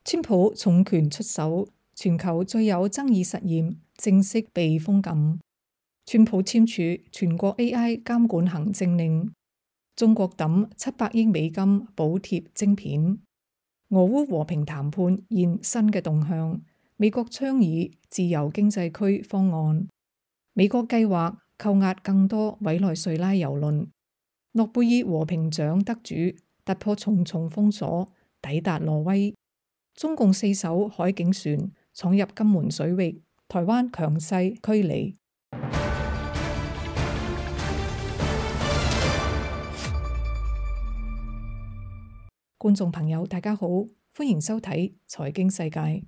川普重拳出手，全球最有爭議實驗正式被封禁。川普簽署全國 AI 監管行政令，中國抌700億美金補貼晶片。俄烏和平談判現新嘅動向，美國倡議自由經濟區方案。美國計劃扣押更多委內瑞拉郵輪。諾貝爾和平獎得主突破重重封鎖，抵達挪威。中共4艘海警船闖入金門水域，台灣強勢驅離。觀眾朋友，大家好，歡迎收睇財經世界。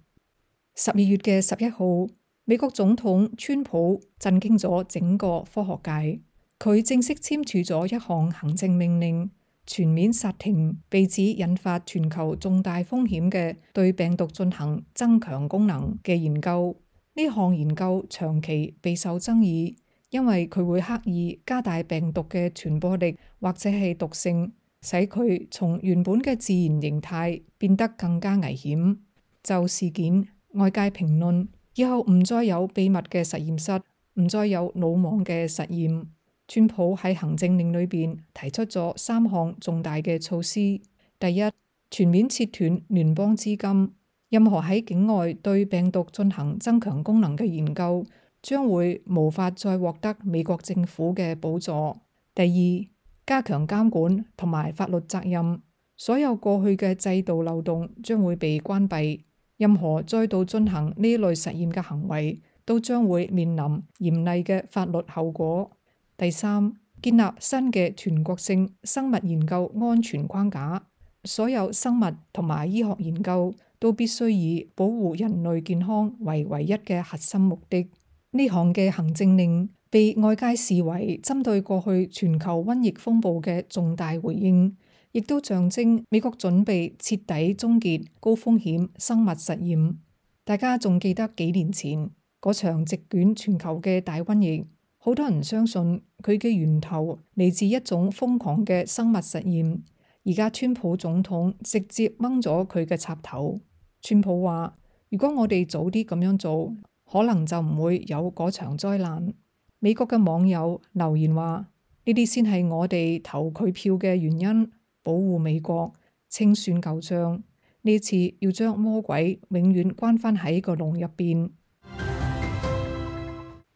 12月嘅11號，美國總統川普震驚咗整個科學界，佢正式簽署咗一項行政命令，全面剎停被指引發全球重大風險嘅對病毒進行增強功能嘅研究。呢項研究長期備受爭議，因為佢會刻意加大病毒嘅傳播力或者係毒性，使佢從原本嘅自然形態變得更加危險。就事件，外界評論以後唔再有秘密嘅實驗室，唔再有魯莽嘅實驗。川普喺行政令裏邊提出咗3項重大嘅措施。第一，全面切斷聯邦資金，任何喺境外對病毒進行增強功能嘅研究將會無法再獲得美國政府嘅補助。第二，加強監管同埋法律責任，所有過去嘅制度漏洞將會被關閉，任何再度進行呢類實驗嘅行為都將會面臨嚴厲嘅法律後果。第三，建立新嘅全國性生物研究安全框架，所有生物同埋醫學研究都必須以保護人類健康為唯一嘅核心目的。呢項嘅行政令被外界視為針對過去全球瘟疫風暴嘅重大回應，亦都象徵美國準備徹底終結高風險生物實驗。大家仲記得幾年前嗰場席捲全球嘅大瘟疫，好多人相信佢嘅源頭嚟自一種瘋狂嘅生物實驗。而家川普總統直接掹咗佢嘅插頭。川普話：如果我哋早啲咁樣做，可能就唔會有嗰場災難。美國嘅網友留言話：呢啲先係我哋投佢票嘅原因，保護美國，清算舊賬。呢次要將魔鬼永遠關返喺個籠入邊。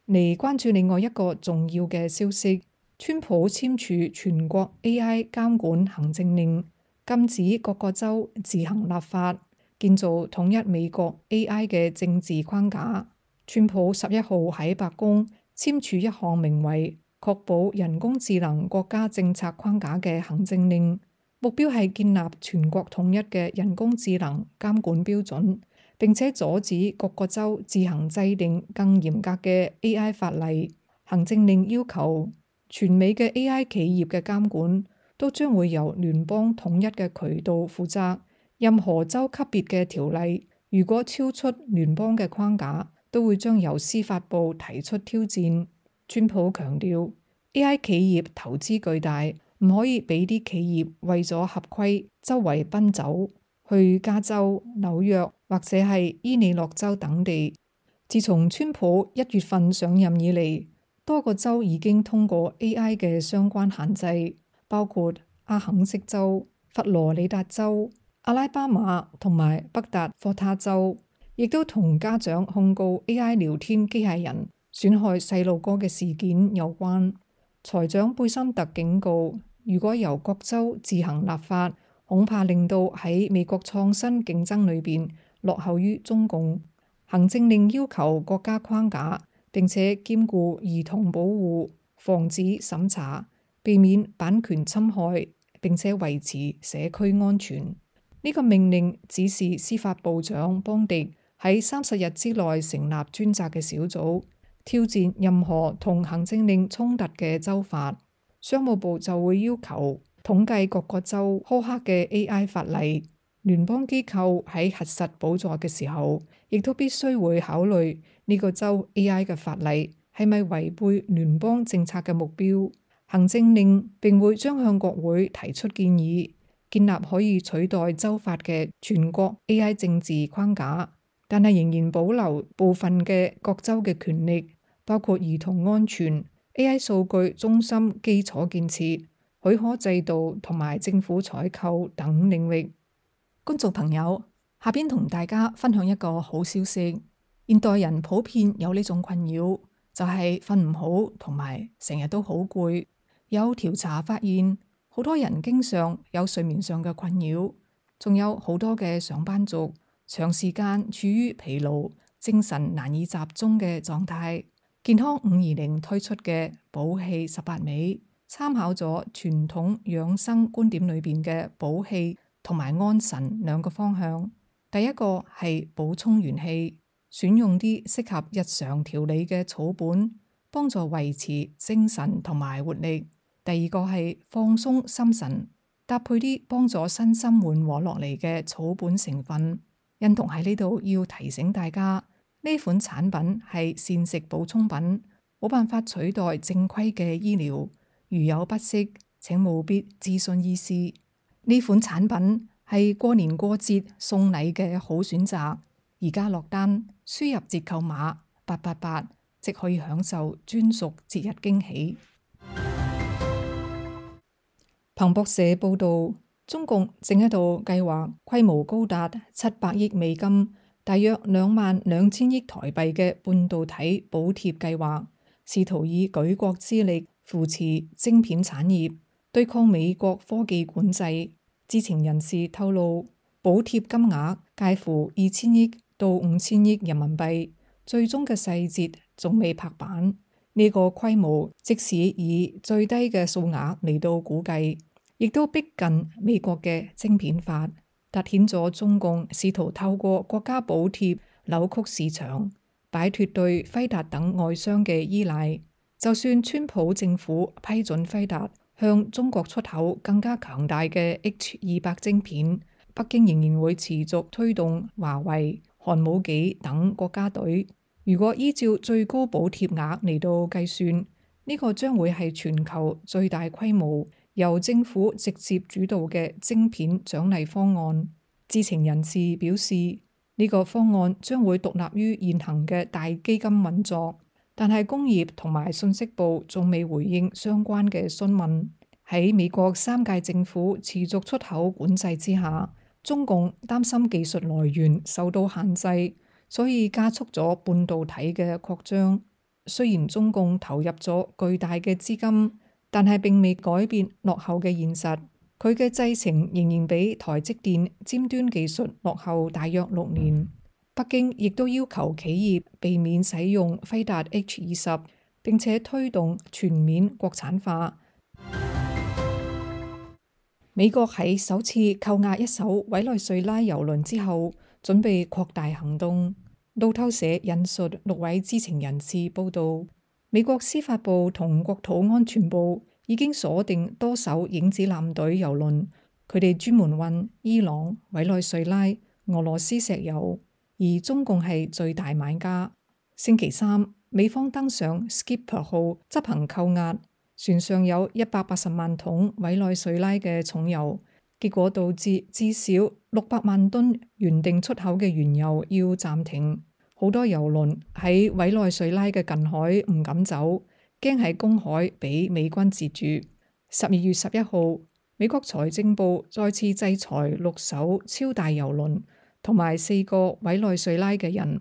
嚟關注另外一個重要嘅消息，川普簽署全國 AI 監管行政令，禁止各個州自行立法，建造統一美國 AI 嘅政治框架。川普11號喺白宮簽署一項名為《確保人工智能國家政策框架》嘅行政令，目標係建立全國統一嘅人工智能監管標準，並且阻止各個州自行制定更嚴格嘅 AI 法例。行政令要求全美嘅 AI 企業嘅監管都將會由聯邦統一嘅渠道負責，任何州級別嘅條例如果超出聯邦嘅框架，都會將由司法部提出挑戰。川普強調 AI 企業投資巨大，唔可以俾啲企業為咗合規周圍奔走去加州、紐約或者係伊利諾州等地。自從川普1月份上任以嚟，多個州已經通過 AI 嘅相關限制，包括阿肯色州、佛羅里達州、阿拉巴馬同埋北達科他州，亦都同家長控告 AI 聊天機械人損害細路哥嘅事件有關。財長貝森特警告，如果由各州自行立法，恐怕令到喺美國創新競爭裏邊落後於中共。行政令要求國家框架，並且兼顧兒童保護、防止審查、避免版權侵害，並且維持社區安全。呢個命令指示司法部長邦迪喺30日之內成立專責嘅小組，挑戰任何同行政令衝突嘅州法。商務部就會要求統計各個州苛刻嘅 AI 法例。聯邦機構喺核實補助嘅時候，亦都必須會考慮呢個州 AI 嘅法例係咪違背聯邦政策嘅目標。行政令並會將向國會提出建議，建立可以取代州法嘅全國 AI 政治框架，但係仍然保留部分嘅各州嘅權力，包括兒童安全、AI 數據中心基礎建設、許可制度同埋政府採購等領域。觀眾朋友，下邊同大家分享一個好消息。現代人普遍有呢種困擾，就係瞓唔好同埋成日都好攰。有調查發現，好多人經常有睡眠上嘅困擾，仲有好多嘅上班族長時間處於疲勞、精神難以集中嘅狀態。健康520推出嘅補氣18味，參考咗傳統養生觀點裏邊嘅補氣同埋安神兩個方向。第一個係補充元氣，選用啲適合日常調理嘅草本，幫助維持精神同埋活力。第二個係放鬆心神，搭配啲幫助身心緩和落嚟嘅草本成分。欣彤喺呢度要提醒大家，呢款產品係膳食補充品，冇辦法取代正規嘅醫療。如有不適，請務必諮詢醫師。呢款產品係過年過節送禮嘅好選擇。而家落單，輸入折扣碼888，即可以享受專屬節日驚喜。彭博社報導，中共正喺度計劃規模高達700億美金，大約22000億台幣嘅半導體補貼計劃，試圖以舉國之力扶持晶片產業，對抗美國科技管制。知情人士透露，補貼金額介乎2000億到5000億人民幣，最終嘅細節仲未拍板。呢個規模即使以最低嘅數額嚟到估計，亦都逼近美國嘅晶片法，凸顯咗中共試圖透過國家補貼扭曲市場，擺脫對輝達等外商嘅依賴。就算川普政府批准輝達向中國出口更加強大嘅 H200晶片，北京仍然會持續推動華為、韓武紀等國家隊。如果依照最高補貼額嚟到計算，呢個將會係全球最大規模由政府直接主導嘅晶片獎勵方案。知情人士表示，呢個方案將會獨立於現行嘅大基金運作，但係工業同埋信息部仲未回應相關嘅詢問。喺美國3屆政府持續出口管制之下，中共擔心技術來源受到限制，所以加速咗半導體嘅擴張。雖然中共投入咗巨大嘅資金，但係並未改變落後嘅現實。佢嘅製程仍然比台積電尖端技術落後大約6年。北京亦都要求企業避免使用輝達 H20，並且推動全面國產化。美國喺首次扣押一艘委內瑞拉郵輪之後，準備擴大行動。路透社引述6位知情人士報道，美國司法部同國土安全部已經鎖定多艘影子艦隊郵輪，佢哋專門運伊朗、委內瑞拉、俄羅斯石油，而中共係最大買家。星期三，美方登上 Skipper 號執行扣押，船上有180萬桶委內瑞拉嘅重油。結果導致至少600萬噸原定出口嘅原油要暫停，好多郵輪喺委內瑞拉嘅近海唔敢走，驚喺公海俾美軍截住。12月11號，美國財政部再次制裁6艘超大郵輪同埋4個委內瑞拉嘅人。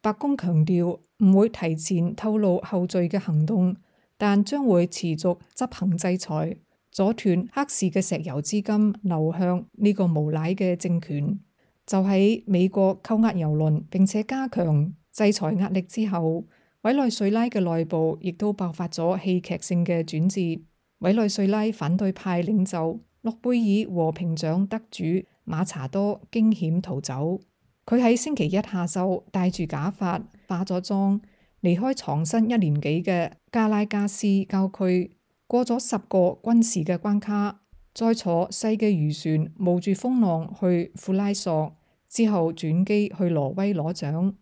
白宮強調唔會提前透露後續嘅行動，但將會持續執行制裁，阻斷黑市嘅石油資金流向呢個無賴嘅政權。就喺美國扣押郵輪並且加強制裁壓力之後，委內瑞拉嘅內部亦都爆發咗戲劇性嘅轉折。委內瑞拉反對派領袖諾貝爾和平獎得主馬查多驚險逃走。佢喺星期一下晝戴住假髮、化咗妝，離開藏身1年幾嘅加拉加斯郊區。過咗10個軍事嘅關卡，再坐細嘅漁船冒住風浪去庫拉索，之後轉機去挪威攞獎。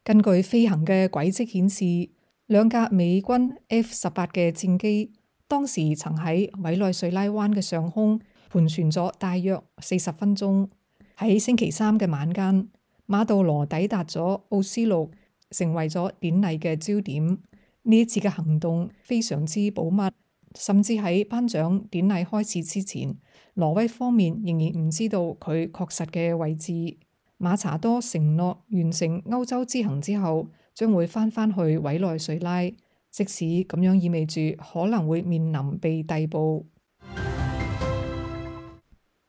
根據飛行嘅軌跡顯示，2架美軍 F-18嘅戰機當時曾喺委內瑞拉灣嘅上空盤旋咗大約40分鐘。喺星期三嘅晚間，馬杜羅抵達咗奧斯陸，成為咗典禮嘅焦點。呢一次嘅行動非常之保密，甚至喺頒獎典禮開始之前，挪威方面仍然唔知道佢確實嘅位置。馬查多承諾完成歐洲之行之後，將會返去委內瑞拉，即使咁樣意味住可能會面臨被逮捕。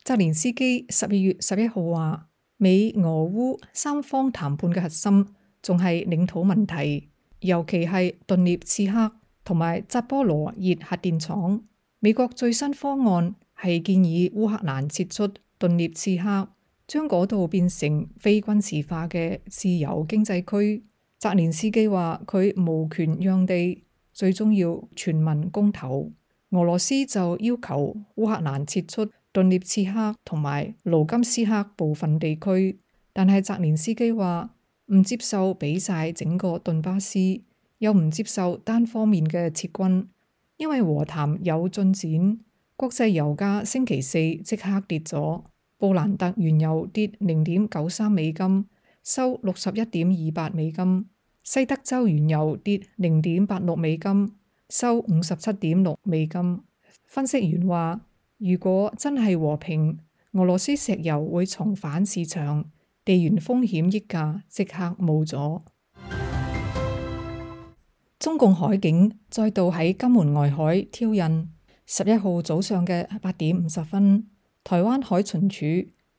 澤連斯基12月11號話，美俄烏三方談判嘅核心仲係領土問題，尤其係頓涅茨克同埋扎波羅熱核電廠。美國最新方案係建議烏克蘭撤出頓涅茨克，將嗰度變成非軍事化嘅自由經濟區。澤連斯基話佢無權讓地，最終要全民公投。俄羅斯就要求烏克蘭撤出頓涅茨克同埋盧甘斯克部分地區，但係澤連斯基話唔接受俾晒整個頓巴斯，又唔接受單方面嘅撤軍，因為和談有進展。國際油價星期四即刻跌咗，布蘭特原油跌0.93美金，收61.28美金；西德州原油跌0.86美金，收57.6美金。分析員話，如果真係和平，俄羅斯石油會重返市場，地緣風險溢價即刻冇咗。中共海警再度喺金門外海挑釁。11號早上嘅8點50分，台灣海巡署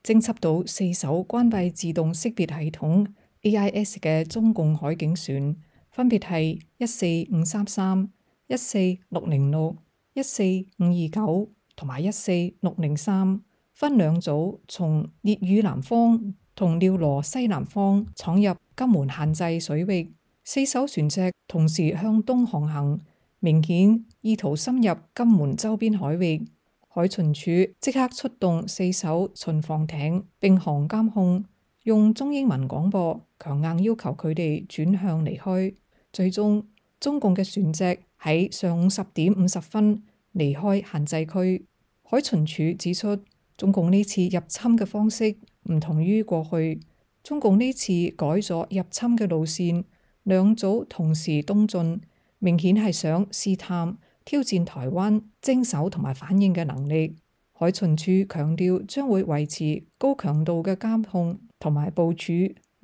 偵緝到4艘關閉自動識別系統 AIS 嘅中共海警船，分別係14533、14606、14529同埋14603，分兩組從烈嶼南方同廖羅西南方闖入金門限制水域。4艘船隻同時向東航行，明顯意圖深入金門周邊海域。海巡署即刻出動4艘巡防艇並航監控，用中英文廣播強硬要求佢哋轉向離開。最終，中共嘅船隻喺上午10點50分離開限制區。海巡署指出，中共呢次入侵嘅方式唔同於過去，中共呢次改咗入侵嘅路線，兩組同時東進，明顯係想試探挑戰台灣偵搜同埋反應嘅能力。海巡署強調將會維持高強度嘅監控同埋部署，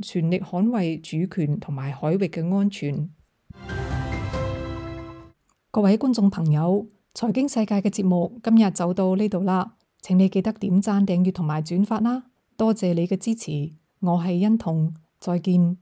全力捍衛主權同埋海域嘅安全。各位觀眾朋友，財經世界嘅節目今日就到呢度啦，請你記得點讚、訂閱同埋轉發啦，多謝你嘅支持，我係欣彤，再見。